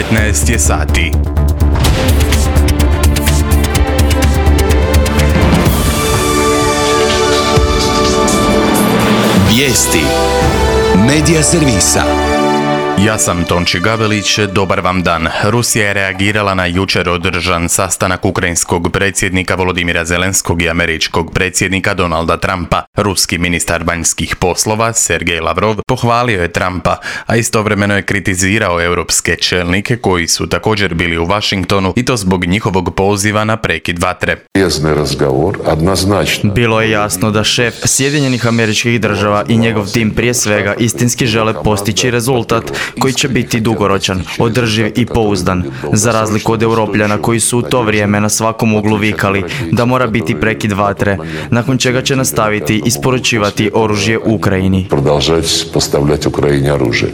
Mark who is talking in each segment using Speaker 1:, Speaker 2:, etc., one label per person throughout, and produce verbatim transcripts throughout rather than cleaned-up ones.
Speaker 1: devetnaest je sati.
Speaker 2: Vijesti Medija servisa.
Speaker 1: Ja sam Tonči Gavelić, dobar vam dan. Rusija je reagirala na jučer održan sastanak ukrajinskog predsjednika Volodimira Zelenskog i američkog predsjednika Donalda Trumpa. Ruski ministar vanjskih poslova Sergej Lavrov pohvalio je Trumpa, a istovremeno je kritizirao europske čelnike koji su također bili u Washingtonu i to zbog njihovog poziva na prekid vatre.
Speaker 3: Bilo je jasno da šef Sjedinjenih Američkih Država i njegov tim prije svega istinski žele postići rezultat koji će biti dugoročan, održiv i pouzdan, za razliku od Europljana koji su u to vrijeme na svakom uglu vikali da mora biti prekid vatre, nakon čega će nastaviti isporučivati oružje Ukrajini.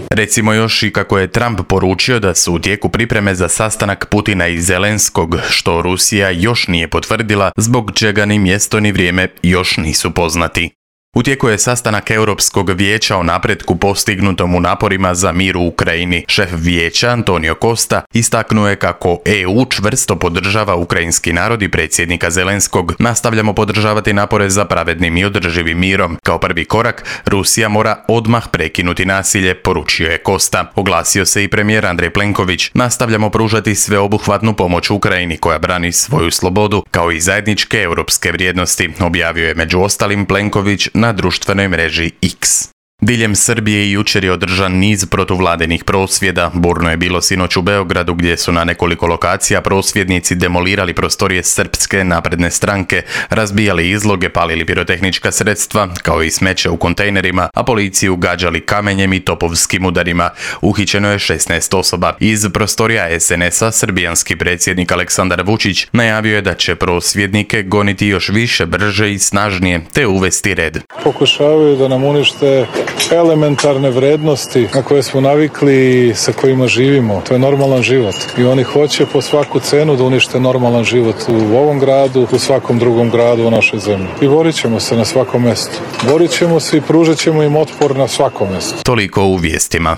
Speaker 1: Recimo još i kako je Trump poručio da su u tijeku pripreme za sastanak Putina i Zelenskog, što Rusija još nije potvrdila, zbog čega ni mjesto ni vrijeme još nisu poznati. U tijeku je sastanak Europskog vijeća o napretku postignutom u naporima za mir u Ukrajini. Šef vijeća Antonio Costa istaknuo je kako E U čvrsto podržava ukrajinski narod i predsjednika Zelenskog. Nastavljamo podržavati napore za pravednim i održivim mirom. Kao prvi korak, Rusija mora odmah prekinuti nasilje, poručio je Costa. Oglasio se i premijer Andrej Plenković. Nastavljamo pružati sveobuhvatnu pomoć Ukrajini koja brani svoju slobodu, kao i zajedničke europske vrijednosti, objavio je među ostalim Plenković na društvenoj mreži X. Diljem Srbije jučer je održan niz protuvladinih prosvjeda. Burno je bilo sinoć u Beogradu gdje su na nekoliko lokacija prosvjednici demolirali prostorije Srpske napredne stranke, razbijali izloge, palili pirotehnička sredstva, kao i smeće u kontejnerima, a policiju gađali kamenjem i topovskim udarima. Uhićeno je šesnaest osoba. Iz prostorija es en es a srbijanski predsjednik Aleksandar Vučić najavio je da će prosvjednike goniti još više, brže i snažnije, te uvesti red.
Speaker 4: Pokušavaju da nam unište elementarne vrednosti na koje smo navikli i sa kojima živimo. To je normalan život. I oni hoće po svaku cenu da unište normalan život u ovom gradu, u svakom drugom gradu u našoj zemlji. I borit ćemo se na svakom mjestu. Borit ćemo se i pružat ćemo im otpor na svakom mjestu.
Speaker 1: Toliko u vijestima.